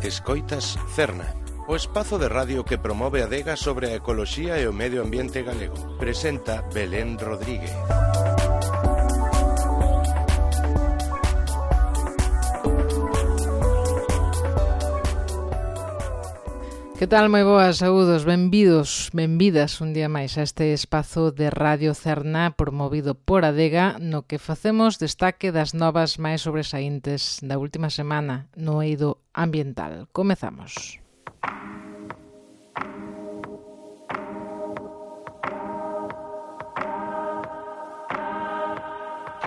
Escoitas Cerna, o espazo de radio que promove a adega sobre a ecoloxía e o medio ambiente galego. Presenta Belén Rodríguez. Que tal, moi boas, saúdos, benvidos, benvidas un día máis a este espazo de Radio Cerna promovido por Adega, no que facemos destaque das novas máis sobresaíntes da última semana no eido ambiental. Comezamos.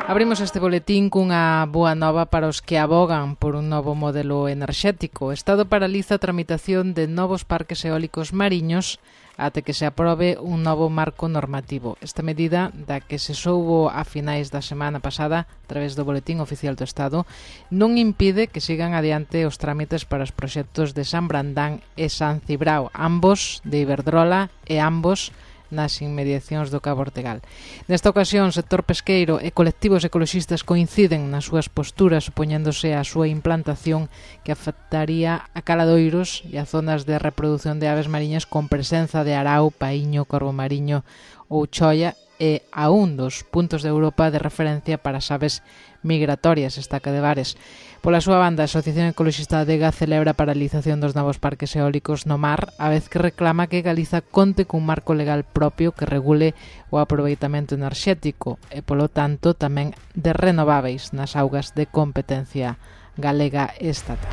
Abrimos este boletín cunha boa nova para os que abogan por un novo modelo enerxético. O Estado paraliza a tramitación de novos parques eólicos mariños até que se aprobe un novo marco normativo. Esta medida, da que se soubo a finais da semana pasada a través do Boletín Oficial do Estado, non impide que sigan adiante os trámites para os proxectos de San Brandán e San Cibrao, ambos de Iberdrola e ambos nas inmediacións do Cabo Ortegal. Nesta ocasión, o sector pesqueiro e colectivos ecoloxistas coinciden nas súas posturas, opoñéndose á súa implantación que afectaría a caladoiros e a zonas de reproducción de aves mariñas con presenza de arau, paíño, corvo mariño ou choia e a un dos puntos de Europa de referencia para as aves migratorias, Estaca de Bares. Pola súa banda, a Asociación Ecoloxista Adega celebra a paralización dos novos parques eólicos no mar, a vez que reclama que Galiza conte cun marco legal propio que regule o aproveitamento enerxético e, polo tanto, tamén de renováveis nas augas de competencia galega estatal.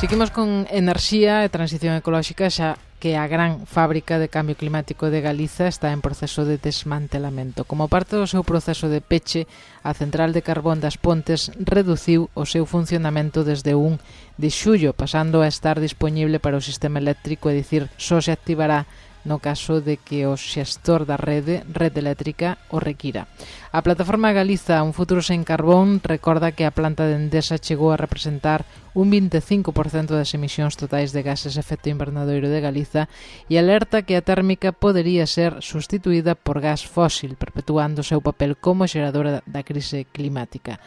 Seguimos con enerxía e transición ecolóxica, xa que a gran fábrica de cambio climático de Galiza está en proceso de desmantelamento. Como parte do seu proceso de peche, a central de carbón das Pontes reduciu o seu funcionamento desde 1 de xullo, pasando a estar dispoñible para o sistema eléctrico, é dicir, só se activará no caso de que o xestor da rede eléctrica o requira. A plataforma Galiza Un Futuro Sen Carbón recorda que a planta de Endesa chegou a representar un 25% das emisións totais de gases de efecto invernadoiro de Galiza e alerta que a térmica podería ser sustituída por gas fósil, perpetuando o seu papel como xeradora da crise climática.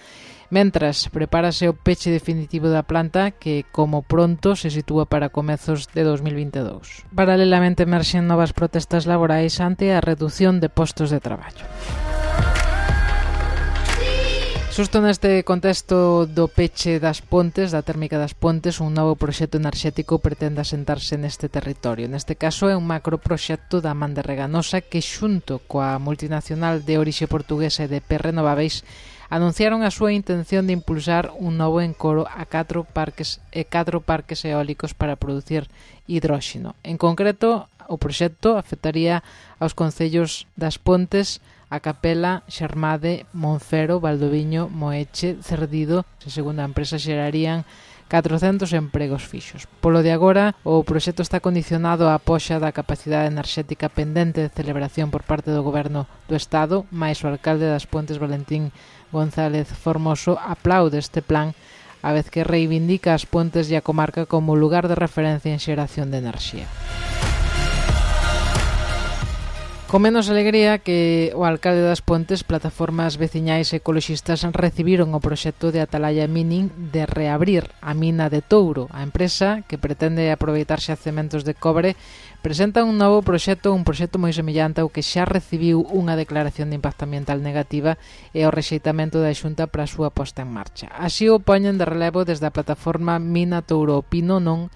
Mentras, prepárase o peche definitivo da planta que, como pronto, se sitúa para comezos de 2022. Paralelamente emerxen novas protestas laborais ante a reducción de postos de traballo. Xusto neste contexto do peche das Pontes, da térmica das Pontes, un novo proxecto enerxético pretende asentarse neste territorio. Neste caso é un macroproxecto da Man de Reganosa que, xunto coa multinacional de orixe portuguesa e de Renováveis, anunciaron a súa intención de impulsar un novo encoro a 4 parques eólicos para producir hidróxeno. En concreto, o proxecto afectaría aos concellos das Pontes, a Capela, Xermade, Monfero, Valdoviño, Moeche, Cerdido, que segundo a empresa xerarían 400 empregos fixos. Polo de agora, o proxecto está condicionado á poxa da capacidade enerxética pendente de celebración por parte do Goberno do Estado, mais o alcalde das Pontes, Valentín González Formoso, aplaude este plan, a vez que reivindica as Pontes e a comarca como lugar de referencia en xeración de enerxía. Con menos alegría que o alcalde das Pontes, plataformas veciñais e ecoloxistas recibiron o proxecto de Atalaya Mining de reabrir a mina de Touro. A empresa, que pretende aproveitar xacementos de cobre, presenta un novo proxecto, un proxecto moi semellante ao que xa recibiu unha declaración de impacto ambiental negativa e o rexeitamento da Xunta para a súa posta en marcha. Así o poñen de relevo desde a plataforma Mina Touro Opino Non,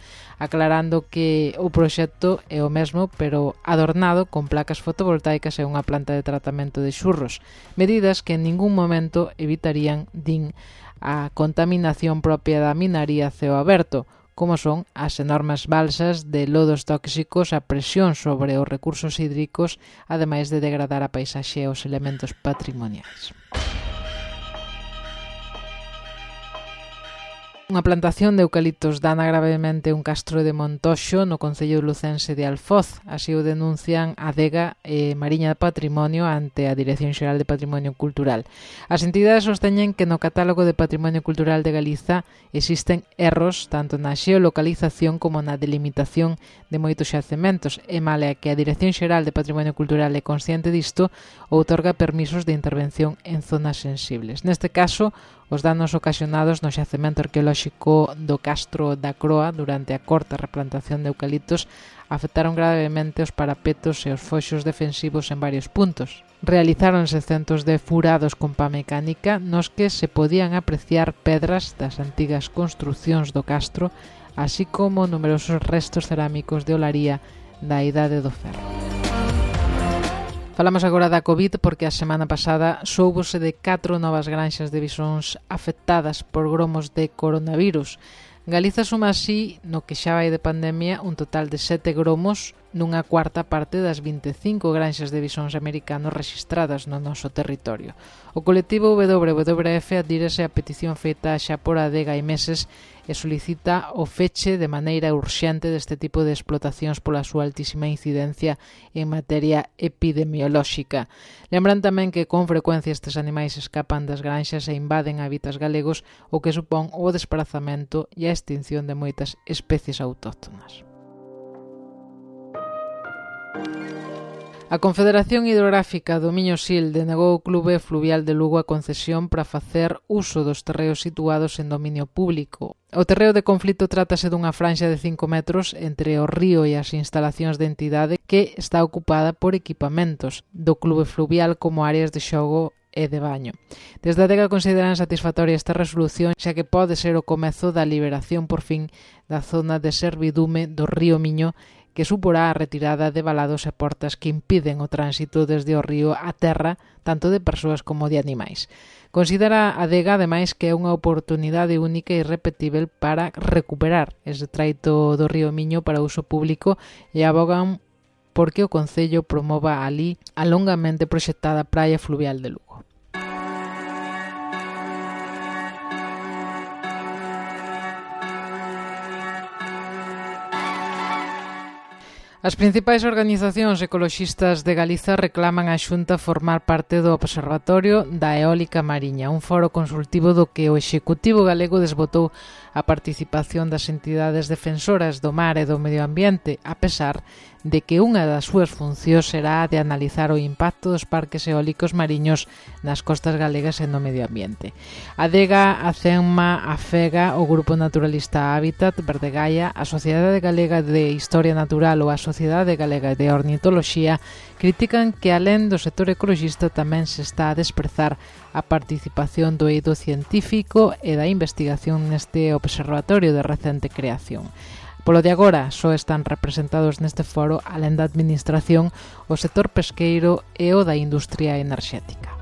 aclarando que o proxecto é o mesmo, pero adornado con placas fotovoltaicas e unha planta de tratamento de xurros, medidas que en ningún momento evitarían, din, a contaminación propia da minaría a ceo aberto, como son as enormes balsas de lodos tóxicos, a presión sobre os recursos hídricos, ademais de degradar a paisaxe e os elementos patrimoniais. Unha plantación de eucaliptos dana gravemente un castro de Montoxo no concello lucense de Alfoz. Así o denuncian Adega e Mariña de Patrimonio ante a Dirección Xeral de Patrimonio Cultural. As entidades sosteñen que no catálogo de Patrimonio Cultural de Galiza existen erros tanto na xeolocalización como na delimitación de moitos xacementos e male que a Dirección Xeral de Patrimonio Cultural é consciente disto, outorga permisos de intervención en zonas sensibles. Neste caso, Os danos ocasionados no xacemento arqueolóxico do Castro da Croa durante a corta replantación de eucaliptos afectaron gravemente os parapetos e os foxos defensivos en varios puntos. Realizáronse centos de furados con pá mecánica nos que se podían apreciar pedras das antigas construcións do Castro, así como numerosos restos cerámicos de olaría da Idade do Ferro. Falamos agora da COVID porque a semana pasada soubose de 4 novas granxas de bisóns afectadas por gromos de coronavirus. Galiza suma así, no que xa vai de pandemia, un total de 7 gromos nunha cuarta parte das 25 granxas de bisóns americanos rexistradas no noso territorio. O colectivo WWF adírese a petición feita xa por Adega hai meses e solicita o feche de maneira urxente deste tipo de explotacións pola súa altísima incidencia en materia epidemiolóxica. Lembran tamén que con frecuencia estes animais escapan das granxas e invaden hábitats galegos, o que supón o desplazamento e a extinción de moitas especies autóctonas. A Confederación Hidrográfica do Miño-Sil denegou ao Clube Fluvial de Lugo a concesión para facer uso dos terreos situados en dominio público. O terreo de conflito trátase dunha franxa de 5 metros entre o río e as instalacións de entidade que está ocupada por equipamentos do Clube Fluvial como áreas de xogo e de baño. Desde a Adega consideran satisfactoria esta resolución, xa que pode ser o comezo da liberación por fin da zona de servidume do río Miño, que suporá a retirada de valados e portas que impiden o tránsito desde o río á terra, tanto de persoas como de animais. Considera a Adega, ademais, que é unha oportunidade única e irrepetível para recuperar ese traito do río Miño para uso público e abogan porque o Concello promova alí a longamente proxectada praia fluvial de Lugo. As principais organizacións ecoloxistas de Galiza reclaman á Xunta formar parte do Observatorio da Eólica Mariña, un foro consultivo do que o Executivo galego desbotou a participación das entidades defensoras do mar e do medio ambiente, a pesar de que unha das súas funcións será a de analizar o impacto dos parques eólicos mariños nas costas galegas e no medio ambiente. A Adega, a CENMA, a FEGA, o Grupo Naturalista Hábitat, Verdegaia, a Sociedade Galega de Historia Natural ou a Sociedade Galega de Ornitoloxía critican que alén do sector ecoloxista tamén se está a desprezar a participación do eido científico e da investigación neste observatorio de recente creación. Polo de agora, só están representados neste foro, alén da administración, o sector pesqueiro e o da industria enerxética.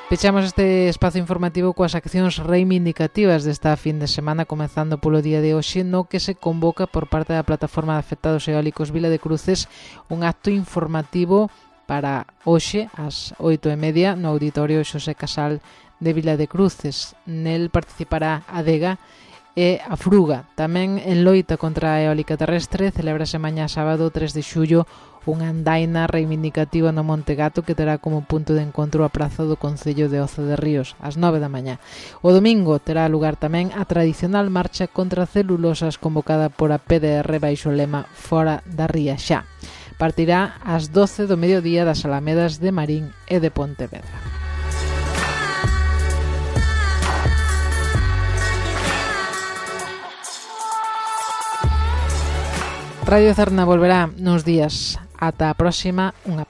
Pechamos este espazo informativo coas accións reivindicativas desta fin de semana, comezando polo día de hoxe, no que se convoca por parte da Plataforma de Afectados Eólicos Vila de Cruces un acto informativo para hoxe, ás 8:30, no Auditorio Xosé Casal de Vila de Cruces. Nel participará a Adega e a Fruga. Tamén en loita contra a eólica terrestre celebrase mañá sábado 3 de xullo unha andaina reivindicativa no Monte Gato que terá como punto de encontro a praza do Concello de Oza de Ríos, ás 9 da mañá. O domingo terá lugar tamén a tradicional marcha contra celulosas convocada por a PDR baixo o lema Fora da Ría Xa. Partirá ás 12 do mediodía das Alamedas de Marín e de Pontevedra. Radio Cerna volverá nos días. Ata a próxima, unha